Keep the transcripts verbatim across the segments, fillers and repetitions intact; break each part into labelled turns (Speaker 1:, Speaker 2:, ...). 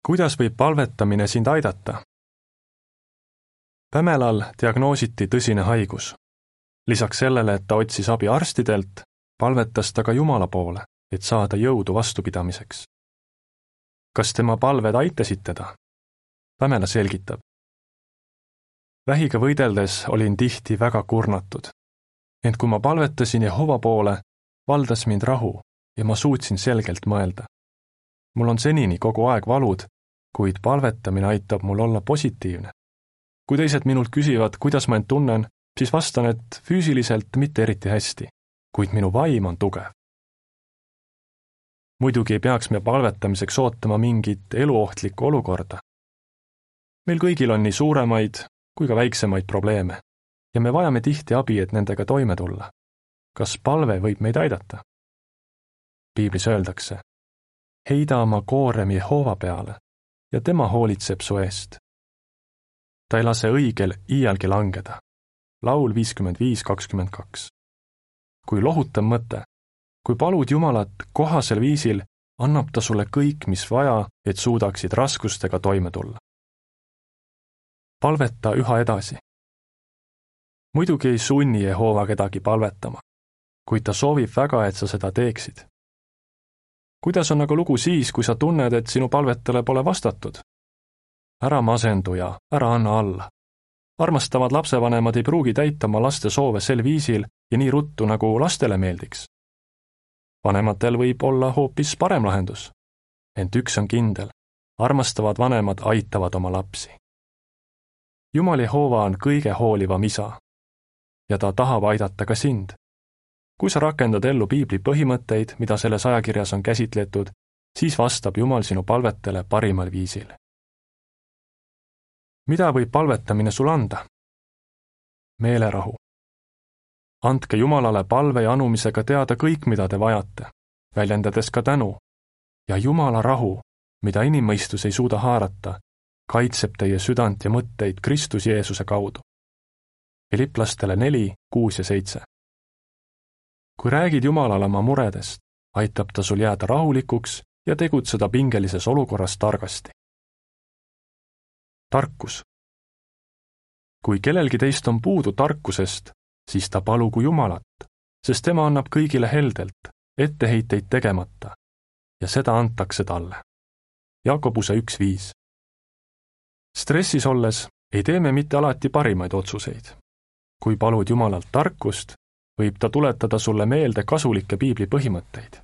Speaker 1: Kuidas võib palvetamine sind aidata? Pamelal diagnoositi tõsine haigus. Lisaks sellele, et ta otsis abi arstidelt, palvetas ta ka Jumala poole, et saada jõudu vastupidamiseks. Kas tema palved aitasid teda? Pamela selgitab. Vähiga võideldes olin tihti väga kurnatud. Ent kui ma palvetasin Jehova poole, valdas mind rahu ja ma suutsin selgelt mõelda. Mul on senini kogu aeg valud, kuid palvetamine aitab mul olla positiivne. Kui teised minult küsivad, kuidas ma end tunnen, siis vastan, et füüsiliselt mitte eriti hästi, kuid minu vaim on tugev. Muidugi ei peaks me palvetamiseks ootama mingit eluohtlikku olukorda. Meil kõigil on nii suuremaid kui ka väiksemaid probleeme ja me vajame tihti abi, et nendega toime tulla. Kas palve võib meid aidata? Piiblis öeldakse, heida oma koorem Jehova peale ja tema hoolitseb su eest. Ta ei lase õigel iialgi langeda. Laul viiskümmend viis kakskümmend kaks. Kui lohutav mõte, kui palud Jumalat kohasel viisil, annab ta sulle kõik, mis vaja, et suudaksid raskustega toime tulla. Palveta üha edasi. Muidugi ei sunni Jehova kedagi palvetama, kuid ta soovib väga, et sa seda teeksid. Kuidas on aga lugu siis, kui sa tunned, et sinu palvetele pole vastatud? Ära masendu ja ära anna alla. Armastavad lapsevanemad ei pruugi täita oma laste soove sel viisil ja nii ruttu, nagu lastele meeldiks. Vanematel võib olla hoopis parem lahendus. Ent üks on kindel, armastavad vanemad aitavad oma lapsi. Jumal Jehova on kõige hoolivam isa ja ta tahab aidata ka sind. Kui sa rakendad ellu Piibli põhimõtteid, mida selles ajakirjas on käsitletud, siis vastab Jumal sinu palvetele parimal viisil. Mida võib palvetamine sul anda? Meelerahu. Andke Jumalale palve ja anumisega teada kõik, mida te vajate, väljendades ka tänu. Ja Jumala rahu, mida inimmõistus ei suuda haarata, kaitseb teie südant ja mõtteid Kristus Jeesuse kaudu. Filiplastele neli, kuus ja seitse. Kui räägid Jumalale oma muredest, aitab ta sul jääda rahulikuks ja tegutseda pingelises olukorras targasti. Tarkus. Kui kellelgi teist on puudu tarkusest, siis ta palugu Jumalat, sest tema annab kõigile heldelt, etteheiteid tegemata, ja seda antakse talle. Jakobuse üks viis. Stressis olles ei tee me mitte alati parimaid otsuseid. Kui palud Jumalalt tarkust, võib ta tuletada sulle meelde kasulikke Piibli põhimõtteid.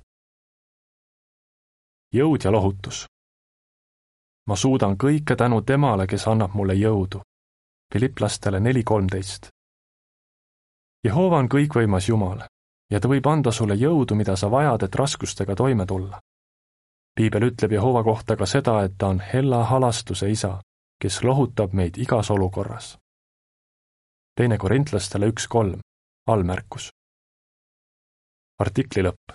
Speaker 1: Jõud ja lohutus. Ma suudan kõike tänu temale, kes annab mulle jõudu. Filiplastele neli kolmteist. Jehova on kõikvõimas Jumal ja ta võib anda sulle jõudu, mida sa vajad, et raskustega toime tulla. Piibel ütleb Jehova kohta ka seda, et ta on hella halastuse isa, kes lohutab meid igas olukorras. Teine Korintlastele üks kolm. Allmärkus. Artikli lõpp.